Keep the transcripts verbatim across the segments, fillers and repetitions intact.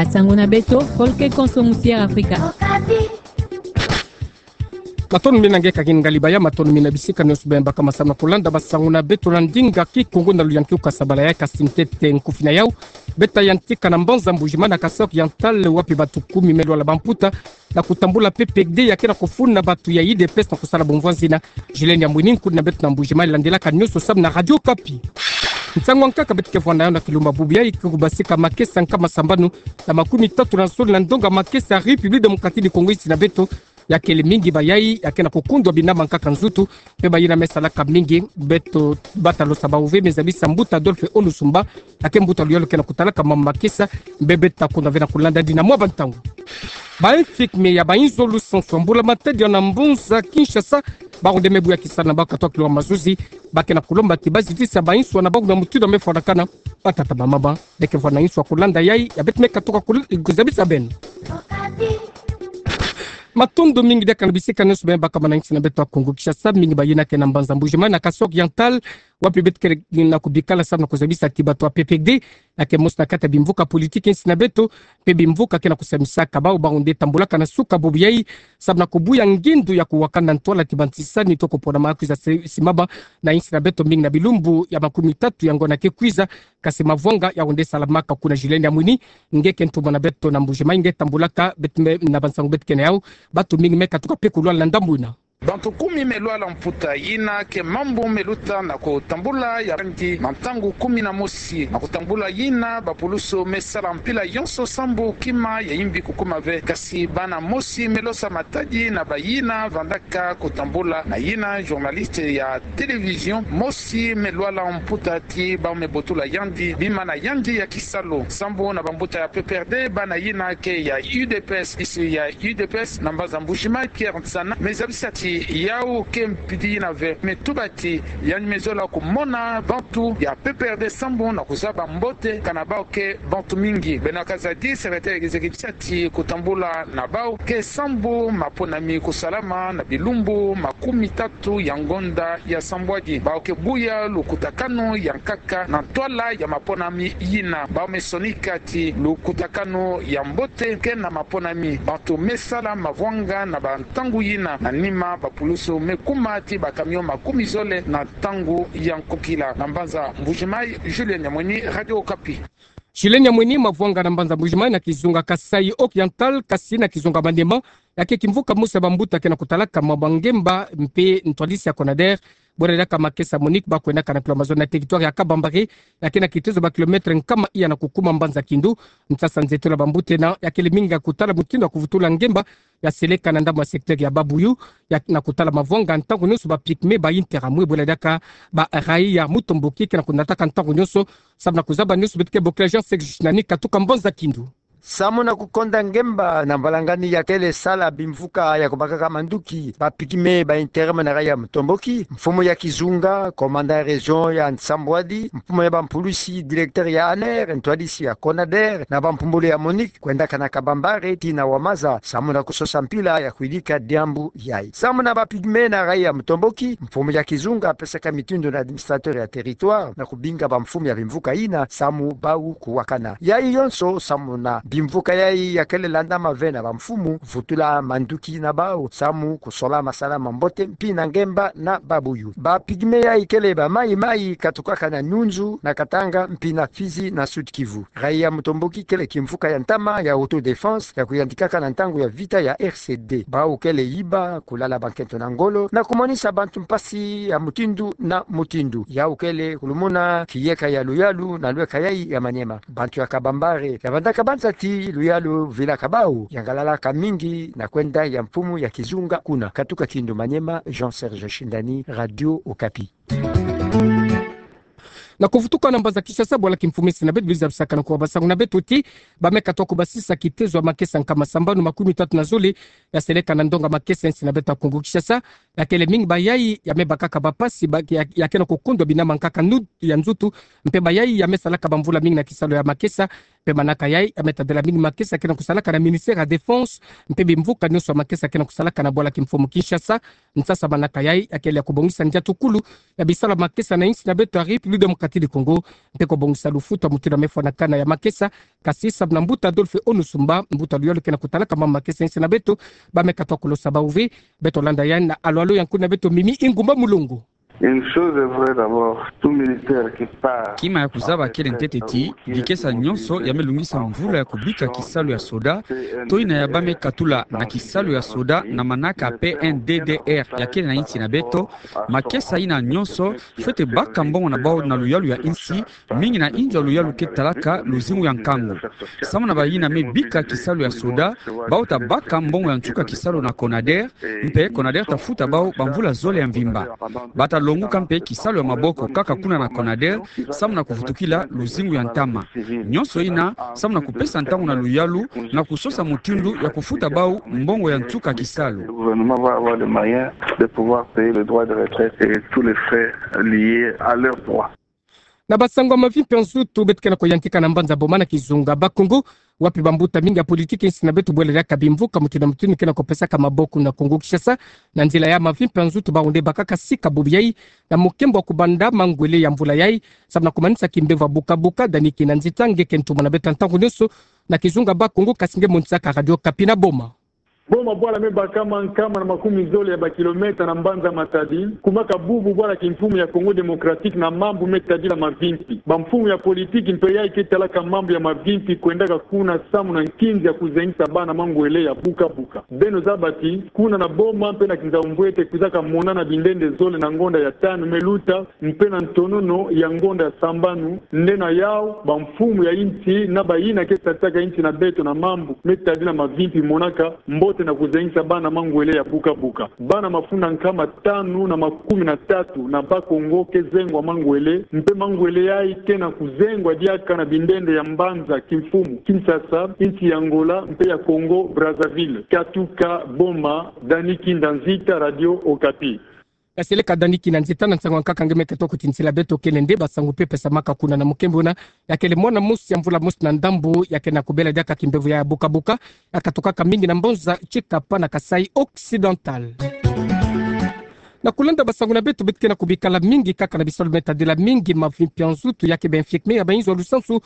Basango na beto, folke konso musi ya Afrika. Matondo mingi na nge kagin ngali baya, matondo mingi na bisika nyonso beno baka masamu na kulanda basango na beto na ndinga Kikongo na luyankilu kasabala ya kasi ntete nkufi na yau. Beta yantika na mbanza Mbujimayi na Kasaï Oriental, wapi bantu kumi me lwala bamputa na kutambula P P R D ya ke na kufuna bantu ya U D P S na kusala bumvwanzi na. Julienne Yamwini, nkudi na beto na Mbujimayi, landilaka nyonso samu na Radio Okapi. Nsangu ya nkaka beto ke vwanda na yau na kilumbu bubu yayi, ke kubasika makesa nkama sambanu na makumi tatu na zole na ndonga makesa République Démocratique du Congo, insi na beto. Ya kele mingi bayayi ya ke na kukundwa binama nkaka nzutu, mpe bayina me salaka mingi. Beto bata losa bawu ve, me zabisa mbuta Adolphe Onusumba, ya ke mbuta luyalu ke na kutalaka mambu makesa, mpe beta kundwa ve na kulanda dina mwa bantangu. Ba infirmier ya bainzo lusansu ya mbula-matadi na mbanza Kinshasa, bawu nde me buya kisalu na bawu katoka kilonga mazuzi. Ba ke na kulomba ti bazitisa bainzo na bawu na mutindu me fwanakana. Batata, bamama, beke vwanda na inzo ya kulanda yayi ya beto me katuka kul-, kuzabisa beno. Matondo mingi diaka na bisika nyonso beno baka maninga insi na beto ya Kongo Kinshasa, mingi bayina ke na mbanza Mbujimayi na Kasaï Oriental, wapi beto ke na kubikala samu na kuzabisa ti bantu ya P P R D ya ke mosi na kati ya bimvuka politique insi na beto, mpe bimvuka ke na kusambisaka bawu, bawu nde tambulaka na suka bubu yayi samu na kubuya ngindu ya kuwakana ntwala ti bantisani to kupona makwiza se-, simama na insi na beto, mingi na bilumbu ya makumi tatu ya ngonda ke kwiza. Kasi mavwanga yawu nde salamaka kuna. Julienne Yamwini, nge ke ntumwa na beto na Mbujimayi, nge tambulaka beto me na bansangu beto ke na yau. Bantu mingi me katuka mpe kulwala na ndambu yina. Bantu kumi me lwala mputa, yina ke mambu me luta na kutambula ya yandi na ntangu kumi na mosi. Na kutambula yina, bapulusu me sala mpila yonso sambu kima ya yimbi kukuma ve. Kasi bana mosi me losa matadi na bayina vandaka kutambula na yina, journaliste ya télévision mosi me lwala mputa ti bawu me botula yandi bima na yandi ya kisalu. Sambu na bambuta ya P P R D, bana yina ke ya U D P S, isi ya U D P S na mbanza Mbujimayi, Pierre Nsana, me zabisa ti yawu ke mpidi yina ve. Me tuba ti yandi me zola kumona bantu ya P P R D sambu na kuzaba mbote kana bawu ke bantu mingi. Bernard Kazadi, secrétaire exécutif, ti kutambula na bawu ke sambu maponami kusalama na bilumbu makumi tatu ya ngonda ya sambwadi. Bawu ke buya lukutakanu ya nkaka na ntwala ya maponami yina. Bawu me sonika ti lukutakanu ya mbote ke na maponami. Bantu me sala mavwanga na bantangu yina. Na nima, bapulusu me kuma ti bacamion makumi zole na ntangu ya nkokila. Na mbanza Mbujimayi, Julienne Yamwini, Radio Okapi. Julienne Yamwini. Mavwanga na mbanza Mbujimayi, na kizunga Kasaï Oriental, kasi na kizunga Maniema, ya ke kimvuka mosi ya bambuta ke na kutalaka mwa bangemba mpe ntwadisi ya Conader, bwela diaka makesa MONUC ba kwendaka na kilomètre na territoire ya Kabambare, ya ke na kitezo ba kilomètre nkama iya na kukuma mbanza Kindu. Nsasa nzetolo ya bambuta yina ya kele mingi ya kutala mutindu ya kuvutula ngemba ya seleka na ndambu ya secteur ya Babuyu, ya na kutala mavwanga ntangu nyonso ba pygmées ba yintera mwe. Bwela diaka ba raïa mutomboki ke na kunataka ntangu nyonso samu na kuzaba nyonso beto ke bokila Jean Serge Shinani katuka mbanza Kindu. Samu na kukonda ngemba na mbalangani ya kele sala bimvuka ya kubakaka manduki, ba pygmées ba yintera mwe na raïa mutomboki, mfumu ya kizunga, commandant ya région ya nsambwadi, mfumu ya bampulusi, directeur ya ANR, ntwadisi ya Conader, na bampumbulu ya MONUC kwendaka na Kabambare tii na Wamaza samu na kusosa mpila ya kwidika diambu yayi. Samu na ba pygmées na raïa mutomboki, mfumu ya kizunga apesaka mitindu na administrateur ya territoire na kubinga bamfumu ya bimvuka yina samu bawu kuwakana. Yayi yonso samu na bimvuka yayi ya kele landama ve na bamfumu vutula manduki na bawu samu kusola masala ma mbote mpi na ngemba na Babuyu. Ba pygmées yayi kele ba mayi-mayi katukaka na Nyunzu, na Katanga, mpi na Fizi, na Sud-Kivu. Raïa mutomboki kele kimvuka ya ntama ya autodéfense ya kuyantikaka na ntangu ya vita ya R C D. Bawu kele yiba, kulala bankento na ngolo, na kumonisa bantu mpasi ya mutindu na mutindu. Yawu kele kulumuna kiyeka ya luyalu na lweka yayi ya Maniema. Bantu ya Kabambare ya bandaka banza ti luyalu vilaka bawu, yangalalaka mingi na kwenda ya mfumu ya kizunga kuna. Katuka Kindu, Maniema, Jean Serge Shindani, Radio Okapi. Na kuvutuka na mbanza Kinshasa, bwala kimfumu insi na beto, biza bisaka na kuwa basangu na beto ti ba me katuka kubasisa kitezo ya makesa nkama sambanu makumi tatu na zole ya seleka na ndonga makesa insi na beto ya Kongo Kinshasa. Ya kele mingi bayayi ya me bakaka bampasi ba, ya, ya ke na kukundwa binama nkaka nu-, ya nzutu, mpe bayayi ya me salaka bamvula mingi na kisalu ya makesa, Mpe manaka yai, ya me tadila mingi makesa ke na kusalaka na ministère ya défense, mpe bimvuka nyonso ya makesa ke na kusalaka na bwala kimfumu Kinshasa, nsasa manaka yai, ya kele ya kubongisa ndiatukulu ya bisalu ya makesa na insi na beto ya République Démocratique du Congo, mpe kubongisa lufutu ya mutindu ya me fwanakana ya makesa, kasi samu na mbuta Adolphe Onussumba, mbuta luyalu ke na kutalaka mama makesa insi na beto, ba me katoa kulosa bawu ve, beto landa yandi na alo-alo ya nkuna beto Mimi Ingumba Mulongo. Une chose est vraie d'abord, tout militaire qui part. Kima ya kuzaba kele ntete ti, bikesa nyonso ya me lungisa mvula ya kubika kisalu ya soda, to yina ya ba me katula na kisalu ya soda na manaka P N D D R ya kele na insi na beto, makesa yina nyonso, fwete baka mbongo na bawu na luyalu ya insi, mingi na inzo ya luyalu ke talaka luzingu ya nkangu. Samu na bayina me bika kisalu ya soda, bawu ta baka mbongo ya nsuka kisalu na CONADER, mpe CONADER ta futa bawu bamvula zole ya mvimba. Ba ta longuka mpe kisalu ya maboko kaka kuna na CONADER, samu na kuvutukila luzingu ya ntama. Nyonso yina, samu na kupesa ntangu na luyalu, na kusosa mutindu ya kufuta bawu mbongo ya nsuka kisalu. Le gouvernement va avoir les moyens de pouvoir payer le droit de retraite et tous les frais liés à leurs droits. Na basango ya mavimpi ya nsutu beto ke na kuyantika na mbanza Boma na kizunga Bas-Congo, wapi bambuta mingi ya politiki insi na beto bwele diaka bimvuka mutindu na mutindu ke na kupesaka maboko na Congo Kinshasa, na nzila ya mavimpi ya nsutu bawu nde bakaka sika bubu yai, na mukembo wa kubanda mangwele ya mvula yai, samu na kumanisa kimbevo ya buka-buka, Dani Kinanzita nge ke ntumwa na beto ya ntangu nyonso, na kizunga Bas-Congo, kasi nge monisaka Radio Okapi na Boma. Boma bwala me bakama nkama na makumi zole ya bakilomètre na mbanza Matadi, kumaka bubu bwala kimfumu ya Congo Démocratique na mambu me tadila mavimpi. Bamfumu ya politiki mpe yai ke talaka mambu ya mavimpi kwendaka kuna samu na nkinzi ya kuzengisa bana mangwele ya buka-buka. Beno zaba ti, kuna na Boma mpe na Kinzau-Mbwete kwizaka monana bindende zole na ngonda ya tanu me luta, mpe na ntonono ya ngonda ya sambanu, nde na yawu, bamfumu ya insi na bayina ke satisaka insi na beto na mambu me tadila mavimpi monaka mbote na kuzengisa bana mangwele ya buka-buka. Bana mafunda nkama tanu na makumi na tatu na Bas-Congo ke zengwa mangwele, mpe mangwele yai ke na kuzengwa diaka na bindende ya mbanza kimfumu Kinshasa, insi ya Angola, mpe ya Congo Brazzaville. Katuka Boma, Dani Kinanzita, Radio Okapi. Kaseleka Dani Kinanzita, na nsangu ya nkaka nge me katoa kutinsila beto kele nde basangu mpe pesamaka kuna na mukembo wuna, ya kele mwana mosi ya mvula mosi na ndambu, ya ke na kubela diaka kimbevo ya buka-buka, ya katukaka mingi na mbanza Tshikapa na Kasaï Occidental. Na kulanda basangu na beto, beto ke na kubikala mingi kaka na bisalu me tadila mingi mavimpi ya nsutu, ya ke ba infirmier ya bayinzo ya lusansu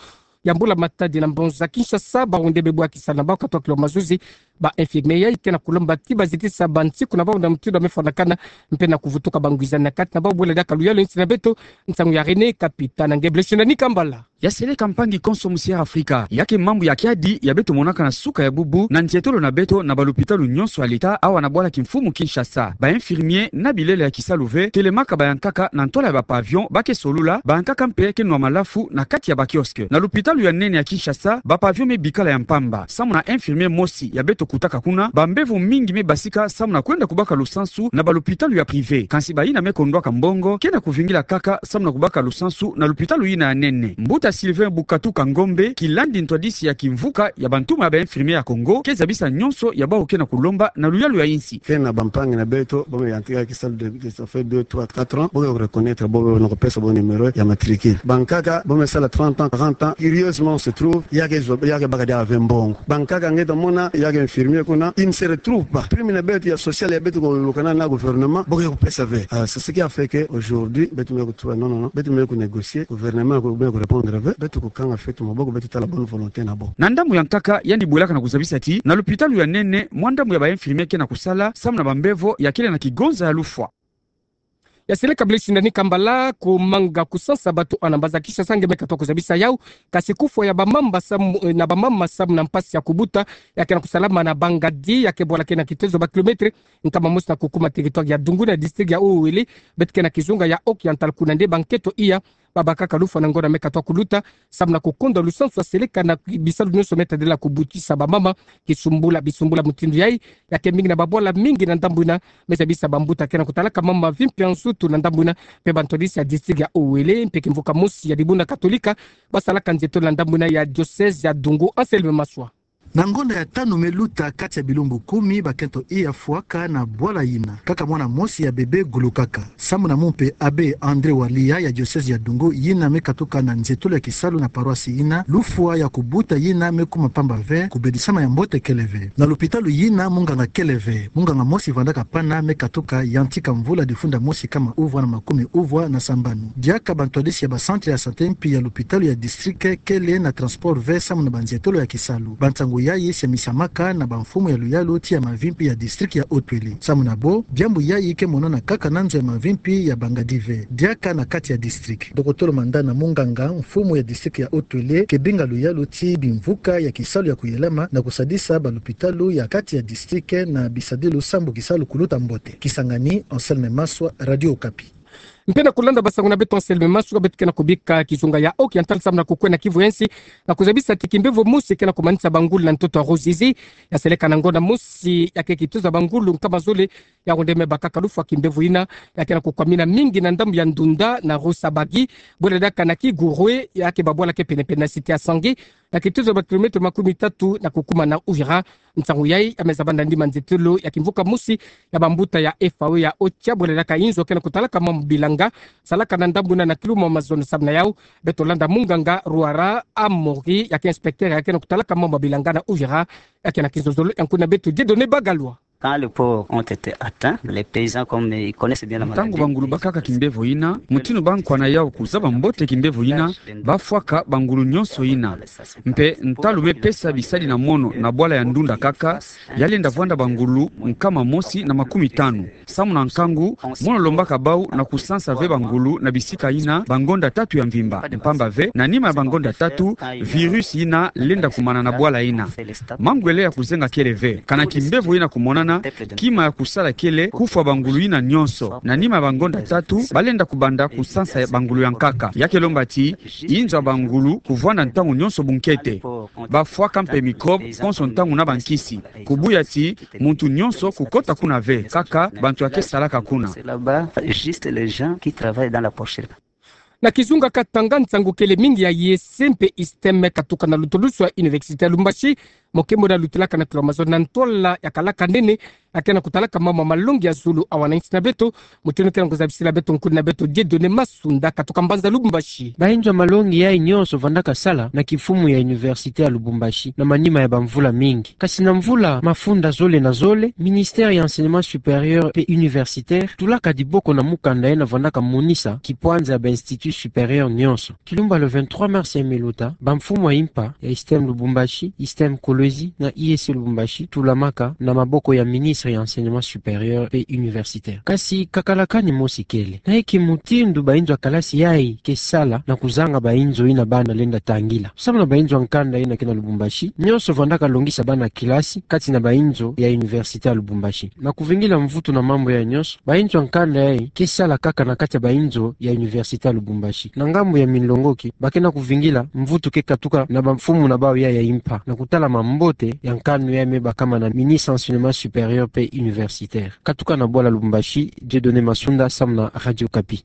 ya mbula matadi na mbanza Kinshasa, bawu nde be bwakisa na bawu katoa kilo mazuzi, ba infirmier yai ke na kulomba ti bazitisa bansiku na bawu na mutindu ya me fwanakana, mpe na kuvutuka bangwizani na kati na bawu. Bwele diaka luyalu ya insi na beto, nsangu ya René Kapita na nge Blessing Nikambala. Ya seleka mpangi konso musi ya Afrika, ya ke mambu ya kiadi ya beto monaka na suka ya bubu na nzietolo na beto na balupitalu nyonso ya leta awa na bwala kimfumu Kinshasa. Ba infirmier na bilele ya kisalu ve, telemaka bayankaka na ntwala ya ba pavillon, ba ke solula, bayankaka mpe ke nwa malafu na kati ya ba kiosque. Na lupitalu ya nene ya Kinshasa, ba pavillon me bikala ya mpamba. Samu na infirmier mosi ya beto kutaka kuna, bambevo mingi me basika samu na kwenda kubaka lusansu na balupitalu ya privé. Kansi bayina me kondwaka mbongo ke na kuvingila kaka samu na kubaka lusansu na lupitalu yina ya nene. Mbuta Sylvain Bukatuka Ngombe, kilandi ntwadisi ya kimvuka ya bantumwa ya ba infirmier ya Congo, ke zabisa nyonso ya bawu ke na kulomba na luyalu ya insi. Ke na bampangi na beto, bo me yantika kisalu de, de, ça fait deux, trois, quatre ans, bo ke reconnaître bo, bo na kupesa bo numéro ya matricule. Bankaka, bo me sala trente ans, quarante ans, curieusement on se trouve, ya ke zo, ya ke baka diaka ve mbongo. Bankaka nge ta mona, ya ke infirmier kuna, il ne se retrouve pas. Prime na beto ya social ya beto kulukana na gouvernement, bo ke kupesa ve. Ah, c'est ce qui a fait que aujourd'hui, beto me kutuba, non, non, non, beto me kunégocier, gouvernement me kurépondre ve, beto kukanga feto maboko, beto tala bonne volonté na bo. Na ndambu ya nkaka, yandi bwelaka na kuzabisa ti, na lupitalu ya nene, mwa ndambu ya ba infirmier ke na kusala, samu na bambevo ya kele na kigonza ya lufwa. Ya seleka Blessing Nikambala, kumanga kusansa bato na mbanza Kinshasa nge me katoa kuzabisa yawu, kasi kufwa ya bamama samu, eh, na bamama samu na mpasi ya kubuta, ya ke na kusalama na Bangadi, ya ke bwala ke na kitezo ba kilomètre nkama mosi na kukuma territoire ya Dungu na district ya Haut-Uélé, beto ke na kizunga ya Haut-Oriental, kuna nde bankento iya babakaka lufwa na ngonda me katoa kuluta, samu na kukonda lusansu ya seleka na bisalu nyonso me tadila kubutisa bamama, kisumbula, bisumbula mutindu yai, ya ke mingi na babwala mingi na ndambu yina, me zabisa bambuta ke na kutalaka mama mavimpi ya nsutu na ndambu yina, mpe bantwadisi ya district ya Haut-Uélé, mpe kimvuka mosi ya dibundu katolika, basalaka nzietolo na ndambu yina ya diocèse ya Dungu. Anselme Maswa. Na ngonda ya tanu me luta kati ya bilumbu kumi, bakento iya fwaka na bwala yina kaka mwana mosi ya bebe gulukaka. Sambu na mumpe Abbé André Walia ya diocèse ya Dungu, yina me katuka na nzietolo ya kisalu na paroisse yina, lufwa ya kubuta yina me kuma pamba ve, kubedisama ya mbote kele ve. Na lupitalu yina munganga kele ve, munganga mosi vandaka pana me katuka yantika mvula difunda mosi kama uvwa na makumi uvwa na sambanu. Diaka bantwadisi ya ba centre ya santé mpi ya lupitalu ya district kele na transport ve sambu na banzietolo ya kisalu. Bansangu yayi semisamaka na bamfumu ya luyalu ti ya mavimpi ya district ya Haut-Uélé. Sambu na bo, diambu yayi ke monana kaka na nzo ya mavimpi ya Bangadi ve, diaka na kati ya district. Dokotolo Mandana, munganga mfumu ya district ya Haut-Uélé, ke binga luyalu ti bimvuka ya kisalu ya kuyelama na kusadisa balupitalu ya kati ya district na bisadilu sambu kisalu kuluta mbote. Kisangani, Anselme Maswa, Radio Okapi. Mpe na kulanda basangu na beto Anselme Maswa, beto ke na kubika kizunga ya Haut-Oriental samu na kukwenda kivu ya nsi, na kuzabisa ti kimbevo mosi ke na kumanisa bangulu na ntoto ya Ruzizi. Ya seleka na ngonda mosi, ya ke kituza bangulu nkama zole, ya onde me bakaka lufwa kimbevo yina, ya ke na kukwamina mingi na ndambu ya Ndunda na Rusabagi, bwela diaka na Kigurwe, ya ke babwala ke penepene na cité ya Sangi, na kituza ba kilomètre makumi tatu na kukuma na Uvira. Nsangu yayi ya me zabanda ndima nzietolo ya kimvuka mosi ya bambuta ya F A O ya Ocha, bwela diaka inzo ke na kutalaka mambu bilanga, salaka na ndambu na na kiluma mazono. Samu na yau, beto landa munganga Ruara Amori, ya ke inspecteur ya ke na kutalaka mambu bilanga na Uvira, ya ke na kizozolo ya nkuna beto Dieudonné Bagalwa. Quand les ports ont été atteints, les paysans, comme ils connaissent bien la maladie, ntangu bangulu bakaka kimbevo yina, mutindu ba nkwa na yau kuzaba mbote kimbevo yina, bafwaka bangulu nyonso yina. Mpe ntalu me pesa bisadi na mono na bwala ya Ndunda kaka, ya lenda vwanda bangulu nkama mosi na makumi tanu. Samu na nkangu, mono lombaka bau na kusansa ve bangulu na bisika yina bangonda tatu ya mvimba. Mpamba ve, na nima ya bangonda tatu, virus yina lenda kumana na bwala yina. Mangwele ya kuzenga kele ve. Kana kimbevo yina kumonana, kima ya kusala kele kufwa bangulu yina nyonso. Na nima ya bangonda tatu, balenda kubanda kusansa bangulu ya nkaka. Ya ke lomba ti inzo ya bangulu kuvwanda ntangu nyonso bunkete. Bafwaka mpe microbe konso ntangu na bankisi. Kubuya ti muntu nyonso kukota kuna ve, kaka bantu ya ke salaka kuna. C'est là-bas, juste les gens qui travaillent dans la porcherie. Na kizunga Katanga, nsangu kele mingi ya I E C mpe ISTEM katuka na lutulusu ya Université ya Lubumbashi. Mokembo na lutilaka na kilomètre mazono na ntwala ya kalaka nene, ya ke na kutalaka mambu ya malongi ya zulu ya wanansi na beto. Mutindu ke na kuzabisila beto nkuni na beto Dieudonné Masunda katuka mbanza Lubumbashi. Bainzo ya malongi yayi nyonso vandaka sala na kimfumu ya Université ya Lubumbashi na manima ya bamvula mingi. Kasi na mvula mafunda zole na zole, Ministère ya Enseignement Supérieur mpe Universitaire tulaka diboko na mukanda yena vandaka monisa kipwanza ya ba Institut Supérieur nyonso. Kilumba le vingt-trois mars ya me luta, bamfumu ya impa ya ISTEM Lubumbashi, ISTEM Kolwezi na I E C Lubumbashi tulamaka na maboko ya Ministre ya Enseignement Supérieur mpe Universitaire. Kasi kakalakani mosi kele. Na eke mutindu bainzo ya kalasi yayi ke sala na kuzanga bainzo yina bana lenda tangila. Samu na bainzo ya nkanda yina ke na Lubumbashi, nyonso vandaka longisa bana kilasi kati na bainzo ya Université ya Lubumbashi. Na kuvingila mvutu na mambu yayi nyonso, bainzo ya nkanda yayi ke sala kaka na kati ya bainzo ya Université ya Lubumbashi. Na ngambu ya minlongoki, ba ke na kuvingila mvutu ke katuka na bamfumu na bau ya, ya impa, na kutala mambote ya nkanu ya me bakama na Ministre Enseignement Supérieur mpe Universitaire. Katuka na bwala Lubumbashi, Dieudonné Masunda, samu na Radio Okapi.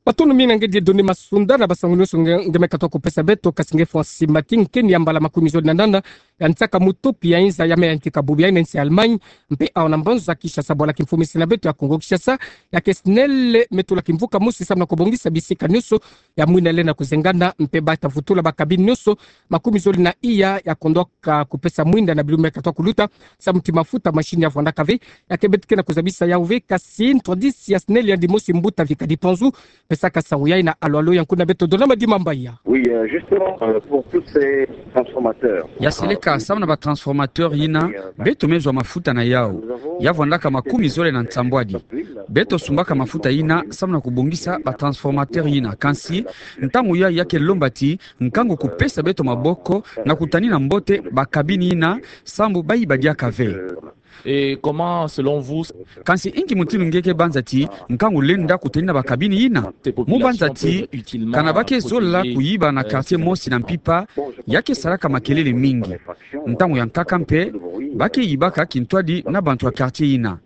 Matondo mingi na nge Dieudonné Masunda na basangu nyonso nge, nge me katuka kupesa beto. Kasi nge Francis Mati, nkeni ya mbala makumi zole na nana ya nsaka mutopi ya inza ya me yantika bubu ya nsi ya Allemagne, mpe awa na mbanza Kinshasa, bwala kimfumisi na beto ya Kongo Kinshasa, ya ke SNEL me tula kimvuka mosi samu na kubongisa bisika nyonso ya mwinda lenda kuzengana, mpe ba ta vutula ba cabine nyonso makumi zole na iya ya kondwa ka kupesa mwinda na bilumbu me katuka kuluta, samu ti mafuta machine ya vwandaka ve. Ya ke beto ke na kuzabisa yau ve, kasi ntwadisi ya SNEL yandi mosi Mbuta Vika Dipanzu, pesaka nsangu yayi na alo alo ya nkuni na beto Donama Dimambaya. Oui, euh, justement, euh, pour tous ces transformateurs. Ya seleka, samu na ba transformateur yina, beto me zwa mafuta na yau. Ya vwandaka makumi zole na nsambwadi. Beto sumbaka mafuta yina samu na kubongisa ba transformateur yina. Kansi, ntangu yayi ya ke lomba ti nkangu kupesa beto maboko na kutanina mbote ba cabine yina, samu bayiba diaka ve. Et comment, selon vous, kansi inki mutindu nge ke banza ti nkangu lenda kutanina ba cabine yina? Mu banza ti kana ba ke zola kuyiba na quartier mosi na mpimpa, ya ke salaka makelele mingi. Ntangu ya nkaka mpe, ba ke yibaka kintwadi na bantu ya quartier yina.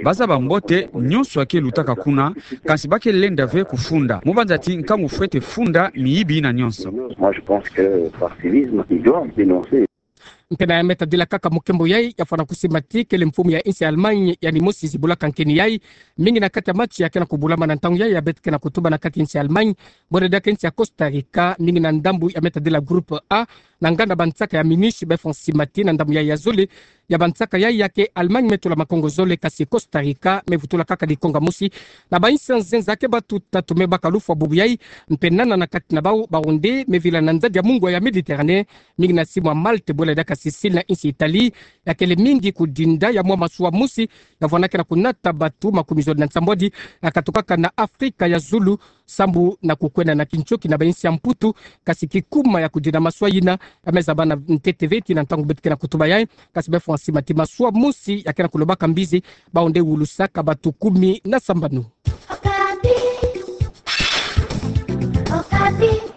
Ba zaba mbote nyonso ya ke lutaka kuna, kansi ba ke lenda ve kufunda. Mu banza ti nkangu fwete funda miyibi yina nyonso. Moi, je pense que par civisme, ils doivent dénoncer. Mpe na ya me tadila kaka mukembo yai, ya fana kusimati kele mfumu ya insi Allemagne, yaani mosi zibula kankeni yai. Mingi na kati ya match ya kena kubulama na ntangu yai, ya beti kena kutuba na kati insi Allemagne. Bole diaka insi ya Costa Rica, mingi na ndambu ya me tadila groupe A, na nganda bansaka ya Munich, be fana simati na ndambu yai ya zole, ya bansaka yai ya ke Allemagne me tula makongo zole, kasi Costa Rica me vutula kaka dikonga mosi. Na bainsi ya nzenza ke batu tatu me baka lufwa bubu yai, mpe nana na kati na bau, bau nde me vila na nzadi ya mungwa ya Méditerranée, mingi na simu ya Malte, bole diaka Sicile na insi Italie, ya kele mingi kudinda ya mwa masuwa mosi, ya vwana kena kunata batu makumi zole na nsambwadi, ya katukaka na Afrika ya zulu, sambu na kukwenda na kintioki na bainsi ya Mputu, kasi kikuma ya kudinda masuwa yina, ya me zaba na ntete veti na ntangu beti kena kutuba yai, kasi be fana simati masuwa mosi, ya kena kulobaka mbizi, bau nde wulusaka batu kumi na sambanu. Okapi. Okapi.